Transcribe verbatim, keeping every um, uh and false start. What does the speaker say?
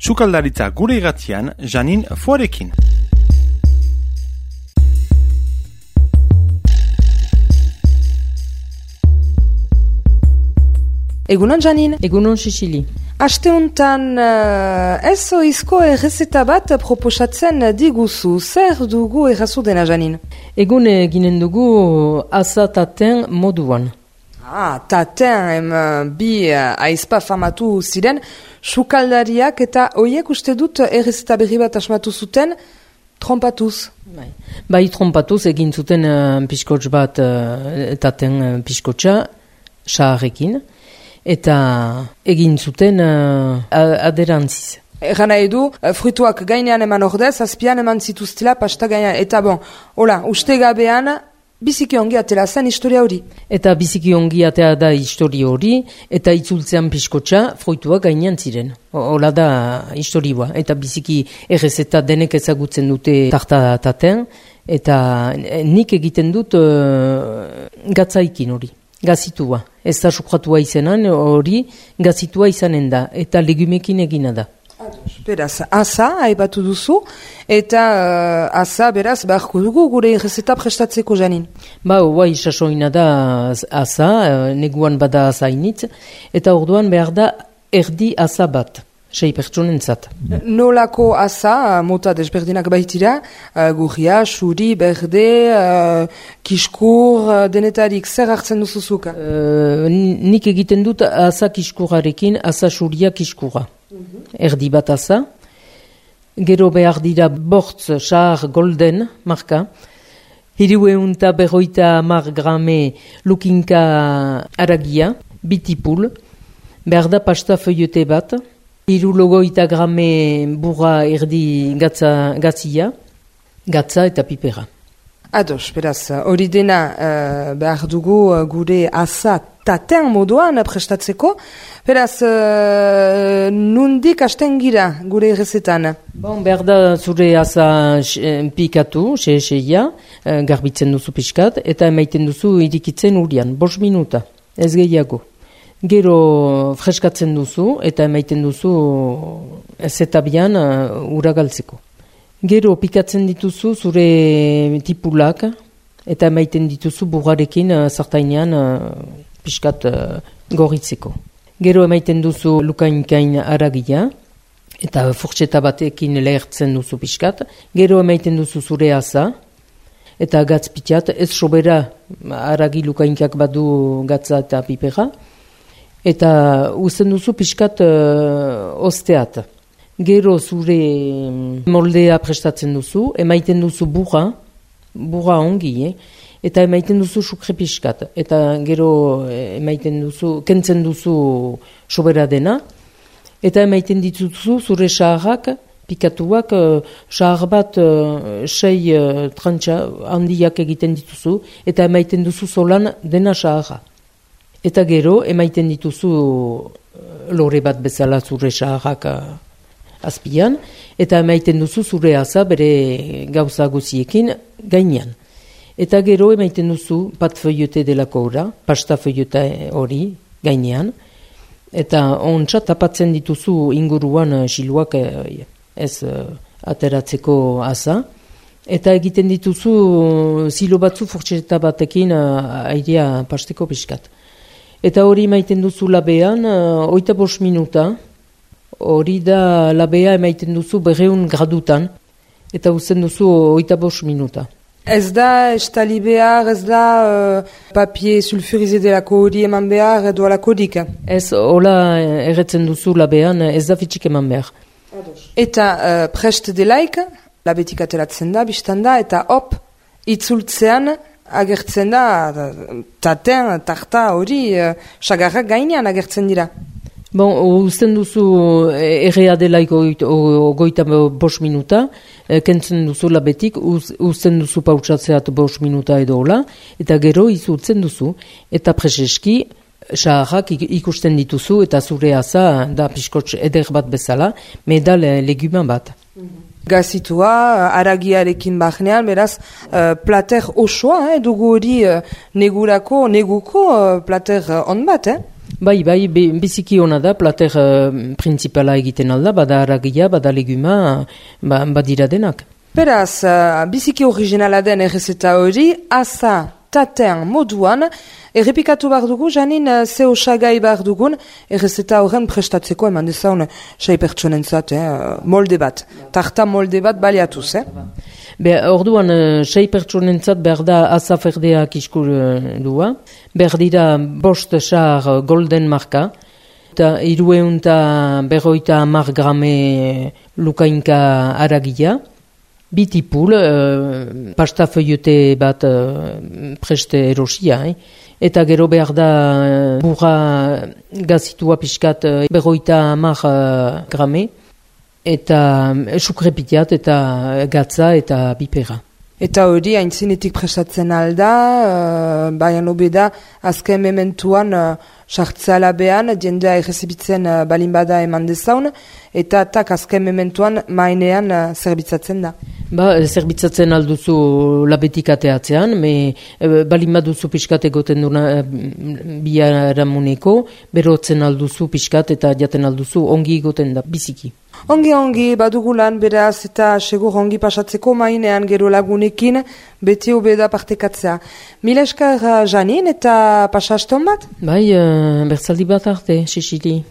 Sukaldaritza gure irratian, Janin Foarekin. Egunon, Janin. Egunon, Sicili. Aste honetan uh, ez oizko errezeta bat proposatzen diguzu. Zer dugu errazu dena, Janin? Egun eginen dugu asa taten moduan. Ah, taten em, bi uh, aizpa famatu ziren, sukaldariak eta hoiek uste dut errezeta berri bat asmatu zuten, trompatuz. Bai, bai trompatuz egin zuten uh, piskots bat uh, taten uh, piskotsa, saharrekin. Eta egin zuten uh, aderantziz. Egan nahi du, fruituak gainean eman ordez, azpian eman zituztela pasta gainean. Eta bon, hola, uste gabean, biziki ongi atela zen historia hori. Eta biziki ongi atea da historia hori, eta itzultzean piskotxa, fruituak gainean ziren. Hola da historioa. Eta biziki errezeta denek ezagutzen dute tartataten, eta nik egiten dut uh, gatzaikin hori. Gazitua. Ez da sukratua izanen hori, gazitua izanen da. Eta legumekin egina da. Beraz, asa, haibatu duzu, eta uh, asa, beraz, beharko dugu gure errezeta prestatzeko, Janin. Ba, guai, sasoina da asa, neguan bada asa initz, eta orduan behar da erdi asa bat. Sei pertsonentzat. Nolako asa, mota desberdinak baitira, uh, gurria, suri, berde, uh, kiskur, uh, denetarik, zer hartzen duzuzuka? Uh, nik egiten dut asa kiskurarekin, asa suria kiskura. Uh-huh. Erdi bat asa. Gero behar dira bortz, sahar, golden, marka. Hiru eunta berroita mar grame lukinka aragia, bitipul. Behar da pasta feuillete bat. Hiru logoita grame burra erdi gatza, gatzia, gatza eta pipera. Ados, beraz, hori dena uh, behar dugu uh, gure asa taten moduan prestatzeko. Beraz, uh, nundik hasten gira gure errezetan? Bon, behar da zure asa pikatu, xe-xeia, uh, garbitzen duzu piskat, eta emaiten duzu irikitzen urian, bost minuta, ez gehiago. Gero freskatzen duzu eta emaiten duzu zetabian uh, ura galtzeko. Gero pikatzen dituzu zure tipulak eta emaiten dituzu burrarekin uh, zartainean uh, piskat uh, gorritzeko. Gero emaiten duzu lukainkain aragia eta furtseta batekin lehertzen duzu piskat. Gero emaiten duzu zure asa eta gatz pitiat, ez sobera aragi lukainkak badu gatza eta pipera. Eta uzten duzu pixkat uh, osteat. Gero zure moldea prestatzen duzu, emaiten duzu burra, burra ongi, eh? Eta emaiten duzu sukre pixkat. Eta gero emaiten duzu, kentzen duzu sobera dena, eta emaiten dituzu zure saharrak, pikatuak, uh, sahar bat uh, sei uh, trantxa handiak egiten dituzu, eta emaiten duzu solan dena saharra. Eta gero, emaiten dituzu lore bat bezala zure saharrak azpian, eta emaiten duzu zure asa bere gauza guziekin gainean. Eta gero, emaiten duzu pat feuillete delako ora, pasta feuillete hori gainean, eta ontsa tapatzen dituzu inguruan siluak ez ateratzeko asa, eta egiten dituzu zilo batzu furtseta batekin airea pasteko piskat. Eta hori emaiten duzu labean, uh, oita bost minuta, hori da labea emaiten duzu berreun gradutan, eta uzten duzu oita bost minuta. Ez da estali behar, ez da uh, papie sulfurize delako hori eman behar edo alako dik? Ez, hola erretzen duzu labean, ez da fitxik eman behar. Eta uh, prest delaik, labetik ateratzen da, biztan da, eta hop, itzultzean, agertzen da, taten, tarta hori, sagarrak uh, gainean agertzen dira. Bon, uzten duzu errea delaiko goita bost minuta, kentzen duzu labetik, uz, uzten duzu pautsatzeat bost minuta edo hola, eta gero izultzen duzu, eta preseski, saharrak ikusten dituzu, eta zure asa da piskotx eder bat bezala, medal leguman bat. Mm-hmm. Gazitua, aragiarekin bahnean, beraz, uh, plater osoa, eh, dugu hori uh, negurako, neguko uh, plater uh, on bat, eh? Bai, bai, be, biziki hona da, plater uh, principala egiten alda, bada haragia, bada leguma, ba, badira denak. Beraz, uh, biziki originala den errezeta hori, asa tatean moduan, errepikatu behar dugu, janin uh, ze osagai behar dugun, errezeta horren prestatzeko eman dezaun sei pertsonentzat, eh, molde bat, tarta molde bat baliatuz, eh? Be, orduan, uh, sei pertsonentzat behar da asa ferdeak iskuldua, behar dira bost sar golden marka, eta irueunta berroita amar grame lukainka haragia, bitipul, uh, pasta feuillete bat uh, preste erosia, eh? Eta gero behar da uh, burra gazitua pixkat uh, berroita amar uh, grame, eta uh, sukrepitiat eta gatza eta bipera. Eta hori haintzinetik prestatzen alda, uh, baina obeda azken mementuan uh, sartzea behan, jendea errezibitzen uh, balin bada eman dezaun, eta tak azken mementuan mainean uh, zerbitzatzen da. Ba, zerbitzatzen alduzu labetik ateatzean, me e, balin baduzu pixkat egoten duna e, biharamuneko, berotzen alduzu pixkat eta jaten alduzu ongi egoten da, biziki. Ongi ongi, badugu lan beraz eta segur ongi pasatzeko mainean gero lagunekin, beti obeda partekatzea. Mila esker Janin eta pasaston bat? Bai, uh, bertzaldi bat arte, Sisili.